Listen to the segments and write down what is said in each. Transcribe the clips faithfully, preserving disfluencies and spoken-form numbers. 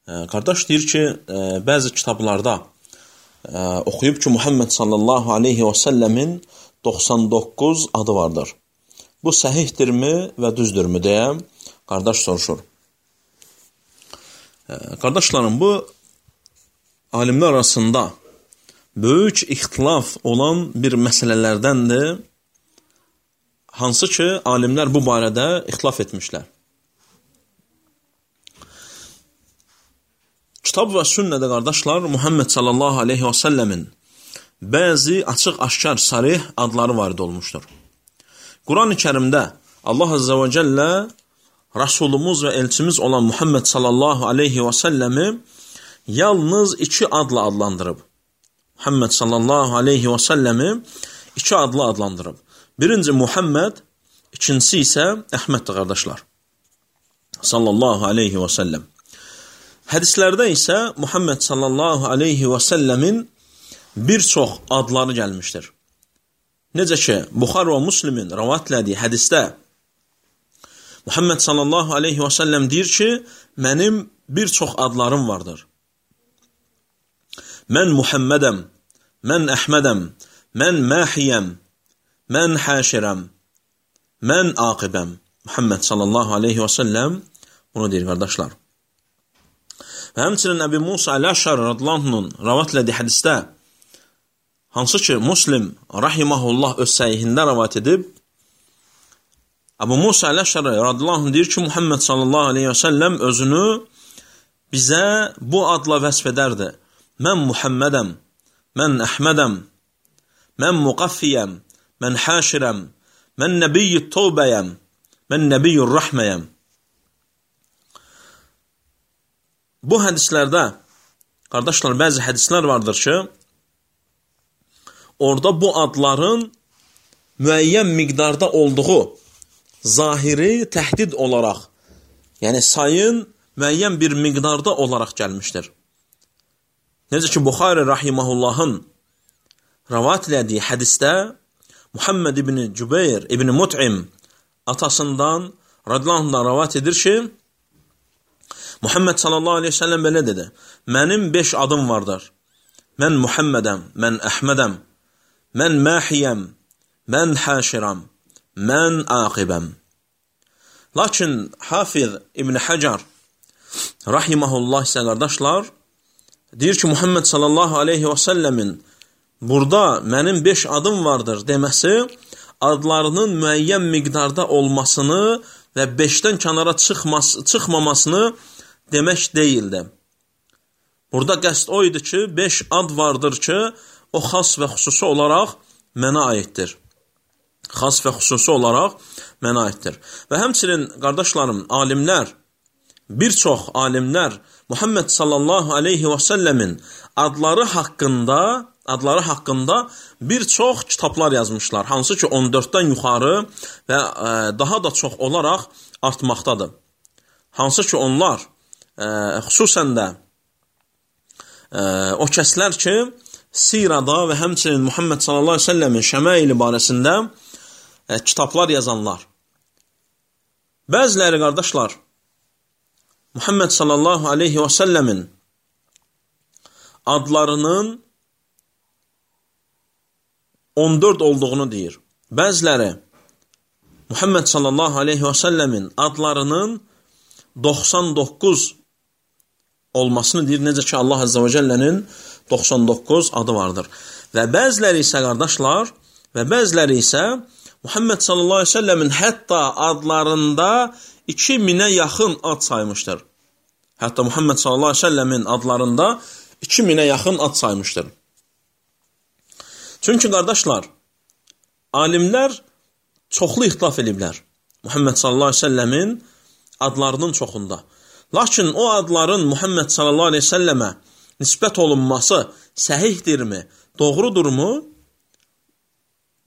Qardaş deyir ki, bəzi kitablarda oxuyub ki, Muhammed sallallahu aleyhi və səlləmin doxsan doqquz adı vardır. Bu səhihdirmi və düzdürmü deyə qardaş soruşur. Qardaşlarım, bu alimlər arasında böyük ixtilaf olan bir məsələlərdəndir, hansı ki, alimlər bu barədə ixtilaf etmişlər. Kitab və sünnədə qardaşlar, Muhammed sallallahu aleyhi və səlləmin bəzi açıq-aşkar sarih adları varid olmuşdur. Quran-ı Kərimdə Allah Azza və Cəllə Rasulumuz və elçimiz olan Muhammed sallallahu aleyhi və səlləmi yalnız iki adla adlandırıb. Muhammed sallallahu aleyhi və səlləmi iki adla adlandırıb. Birinci Muhammed, ikincisi isə Əhməddir qardaşlar. Sallallahu aleyhi və səlləm. Hədislərdə isə Muhammed sallallahu aleyhi və səlləmin bir çox adları gəlmişdir. Necə ki, Buxar və Müslimin rəvat elədiyi hədisdə Muhammed sallallahu aleyhi və səlləm deyir ki, mənim bir çox adlarım vardır. Mən Muhammedəm, mən Əhmədəm, mən Məhiyəm, mən Həşirəm, mən Aqibəm. Muhammed sallallahu aleyhi və səlləm bunu deyir qardaşlar. Və həmçinin Əbi Musa Əl-Əşəri radiyallahu rəvat elədiyi hədisdə, hansı ki, Müslim rahiməhullah öz səhihində rəvat edib, Əbu Musa Əl-Əşəri radiyallahu deyir ki, Muhammed sallallahu aleyhi və səlləm özünü bizə bu adla vəsf edərdi. Mən Muhammedəm, mən Əhmədəm, mən Muqaffiyəm, mən Həşirəm, mən Nəbiyyü Tövbəyəm, mən Nəbiyyü Rəhməyəm. Bu hədislərdə, qardaşlar, bəzi hədislər vardır ki, orada bu adların müəyyən miqdarda olduğu zahiri təhdid olaraq, yəni sayın müəyyən bir miqdarda olaraq gəlmişdir. Necə ki, Buxari rahiməhullahın rəvat elədiyi hədisdə Muhammed ibn Cübeyr ibn Mut'im atasından radiyallahu rəvat edir ki, Muhammed sallallahu aleyhi ve sellem belə dedi, mənim beş adım vardır. Mən Muhammedəm, mən Əhmədəm, mən Məhiyəm, mən Həşirəm, mən Aqibəm. Lakin Hafiz İbn Həcar rahiməhullah isə qardaşlar, deyir ki, Muhammed sallallahu aleyhi və səlləmin burada mənim beş adım vardır deməsi, adlarının müəyyən miqdarda olmasını və beşdən kənara çıxmas, çıxmamasını demək deyildi. Burada qəsd o idi ki, beş ad vardır ki, o xas və xüsusi olaraq mənə aiddir. Xas və xüsusi olaraq mənə aiddir. Və həmçinin, qardaşlarım, alimlər, bir çox alimlər Muhammed sallallahu aleyhi və səlləmin adları haqqında, adları haqqında bir çox kitablar yazmışlar. Hansı ki, on dörddən yuxarı və e, daha da çox olaraq artmaqdadır. Hansı ki, onlar e, xüsusən də e, o kəslər ki, sirada və həmçinin Muhammed sallallahu aleyhi və səlləmin şəmaili barəsində e, kitablar yazanlar. Bəziləri, qardaşlar, Muhammed sallallahu aleyhi və səlləmin adlarının on dörd olduğunu deyir. Bəziləri Muhammed sallallahu aleyhi və səlləmin adlarının doxsan doqquz olmasını deyir. Necə ki, Allah Azza və Cəllənin doxsan doqquz adı vardır. Və bəziləri isə, qardaşlar, və bəziləri isə Muhammed sallallahu aleyhi və səlləmin hətta adlarında iki minə yaxın ad saymışdır. Hətta Muhammed sallallahu aleyhi və səlləmin adlarında iki minə yaxın ad saymışdır. Çünki, qardaşlar, alimlər çoxlu ixtilaf ediblər Muhammed sallallahu aleyhi və səlləmin adlarının çoxunda. Lakin o adların Muhammed sallallahu aleyhi və səlləmə nisbət olunması səhihdirmi, doğrudurmu?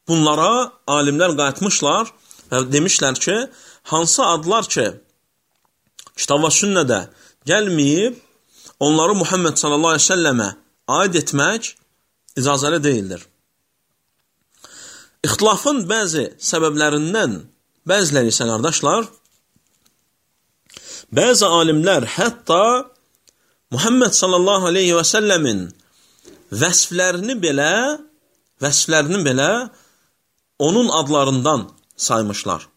Bunlara alimlər qayıtmışlar və demişlər ki, hansı adlar ki, kitab və sünnədə gəlməyib, onları Muhammed sallallahu aleyhi və səlləmə aid etmək icazəli deyildir. İxtilafın bəzi səbəblərindən bəziləri isə, qardaşlar, bəzi alimlər hətta Muhammed sallallahu aleyhi və səlləmin vəsflərini belə, vəsflərini belə onun adlarından saymışlar.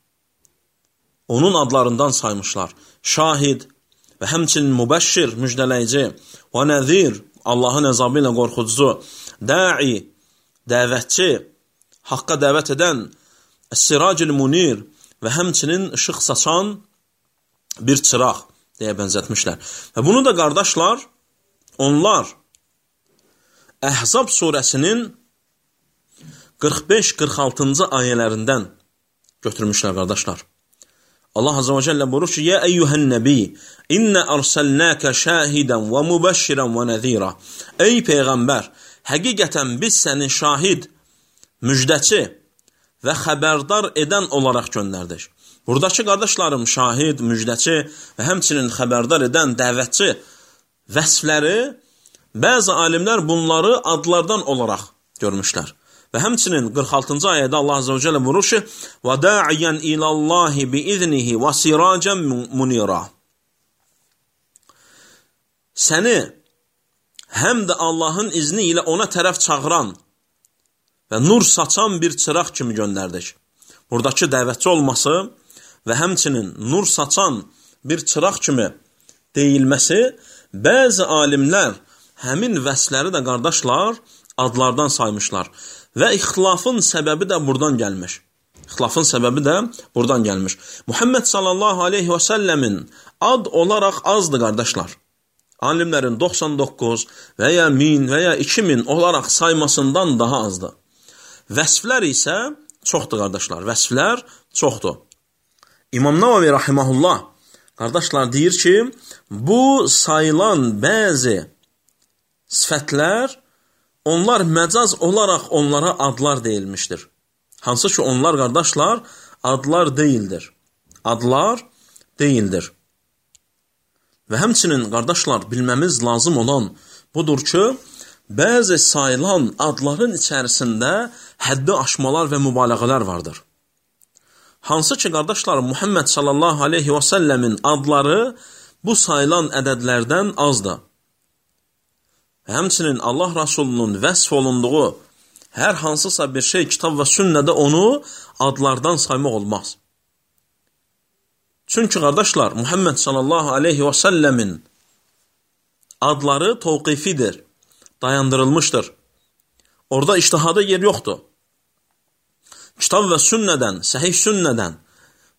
Onun adlarından saymışlar. Şahid və həmçinin mübəşşir, müjdələyici, və nəzir, Allahın əzabı ilə qorxucu, da'i, dəvətçi, haqqa dəvət edən, əs-siracil munir və həmçinin işıq saçan bir çıraq deyə bənzətmişlər. Və bunu da qardaşlar, onlar Əhzab surəsinin qırx beş qırx altıncı ayələrindən götürmüşlər qardaşlar. Allah Azze ve Celle buyurur ki, Ya eyyuhen nebi, inne arsalnake şahidən və mübəşşirən və nəzira. Ey Peyğəmbər, həqiqətən biz səni şahid, müjdəçi və xəbərdar edən olaraq göndərdik. Buradakı qardaşlarım şahid, müjdəçi və həmçinin xəbərdar edən dəvətçi vəsfləri bəzi alimlər bunları adlardan olaraq görmüşlər. Və həmçinin qırx altıncı ayədə Allah Azze ve Celle buyurur ki, وَدَاعِيًا إِلَى اللّٰهِ بِإِذْنِهِ وَسِرَاجًا مُنِيرًا. Səni həm də Allahın izni ilə ona tərəf çağıran və nur saçan bir çıraq kimi göndərdik. Buradakı dəvətçi olması və həmçinin nur saçan bir çıraq kimi deyilməsi, bəzi alimlər həmin vəsləri də qardaşlar adlardan saymışlar. Və ixtilafın səbəbi də buradan gəlmiş. İxtilafın səbəbi də buradan gəlmiş. Muhammed sallallahu aleyhi və səlləmin ad olaraq azdır qardaşlar. Alimlərin doxsan doqquz və ya min və ya iki min olaraq saymasından daha azdır. Vəsflər isə çoxdur qardaşlar. Vəsflər çoxdur. İmam Nəvavi rahiməhullah qardaşlar deyir ki, bu sayılan bəzi sifətlər, onlar məcaz olaraq onlara adlar deyilmişdir. Hansı ki, onlar qardaşlar adlar deyildir. Adlar deyildir. Və həmçinin qardaşlar bilməmiz lazım olan budur ki, bəzi sayılan adların içərisində həddi aşmalar və mübaliğələr vardır. Hansı ki, qardaşlar Muhammed sallallahu aleyhi və səlləmin adları bu sayılan ədədlərdən azdır. Həmçinin Allah Rasulunun vəsf olunduğu hər hansısa bir şey kitab və sünnədə onu adlardan saymaq olmaz. Çünki qardaşlar Muhammed sallallahu aleyhi və səlləmin adları tavqifidir, dayandırılmışdır. Orada ictihada yer yoxdur. Kitab və sünnədən, səhih sünnədən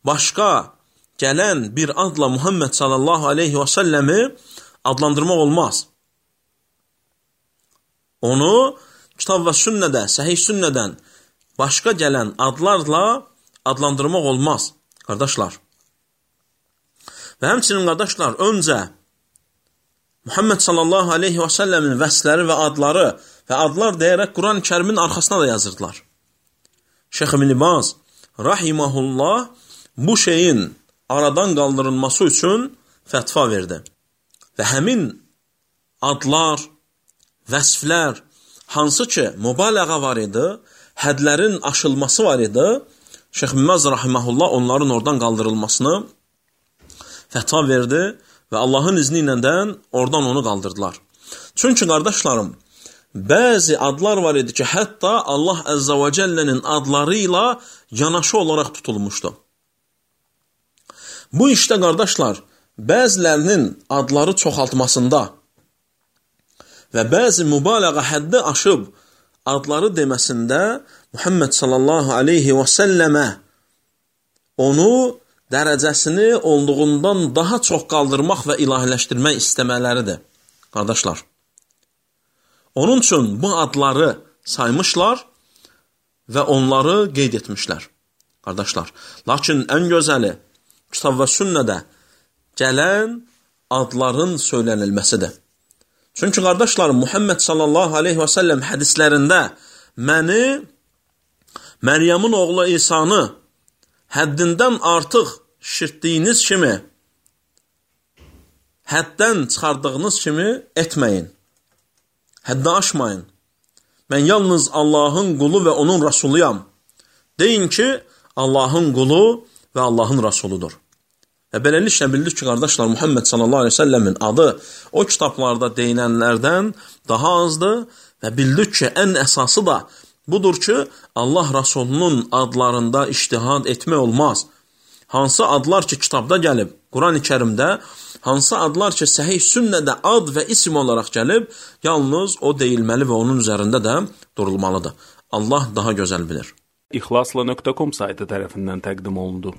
başqa gələn bir adla Muhammed sallallahu aleyhi və səlləmi adlandırmaq olmaz. Onu kitab və sünnədə, səhih sünnədən başqa gələn adlarla adlandırmaq olmaz, qardaşlar. Və həmçinin qardaşlar, öncə Muhammed sallallahu aleyhi və səlləmin vəsləri və adları və adlar deyərək Quran-ı Kərimin arxasına da yazırdılar. Şeyx İbn Baz rahiməhullah bu şeyin aradan qaldırılması üçün fətva verdi. Və həmin adlar, vəsflər, hansı ki, mübaliğə var idi, hədlərin aşılması var idi, Şeyx İbn Baz rahiməhullah onların oradan qaldırılmasını fətva verdi və Allahın izni ilə də oradan onu qaldırdılar. Çünki qardaşlarım, bəzi adlar var idi ki, hətta Allah Əzzə və Cəllənin adları ilə yanaşı olaraq tutulmuşdu. Bu işdə qardaşlar, bəzilərinin adları çoxaltmasında və bəzi mübaliğə həddi aşıb adları deməsində Muhammed sallallahu aleyhi və səlləmə onu dərəcəsini olduğundan daha çox qaldırmaq və ilahiləşdirmək istəmələridir, qardaşlar. Onun üçün bu adları saymışlar və onları qeyd etmişlər, qardaşlar. Lakin ən gözəli kitab və sünnədə gələn adların söylənilməsidir. Çünki qardaşlarım, Muhammed sallallahu aleyhi və səlləm hədislərində məni, Məryəmin oğlu İsanı həddindən artıq şirtdiyiniz kimi, həddən çıxardığınız kimi etməyin. Həddə aşmayın. Mən yalnız Allahın qulu və onun rasuluyam. Deyin ki, Allahın qulu və Allahın rasuludur. Və beləliklə bildik ki, qardaşlar, Muhammed sallallahu aleyhi ve sellemin adı o kitablarda deyilənlərdən daha azdır və bildik ki, ən əsası da budur ki, Allah Rasulunun adlarında ictihad etmək olmaz. Hansı adlar ki, kitabda gəlib, Quran-ı Kərimdə, hansı adlar ki, səhih sünnədə ad və isim olaraq gəlib, yalnız o deyilməli və onun üzərində də durulmalıdır. Allah daha gözəl bilir. İxlasla nöqtə com saytı tərəfindən təqdim olundu.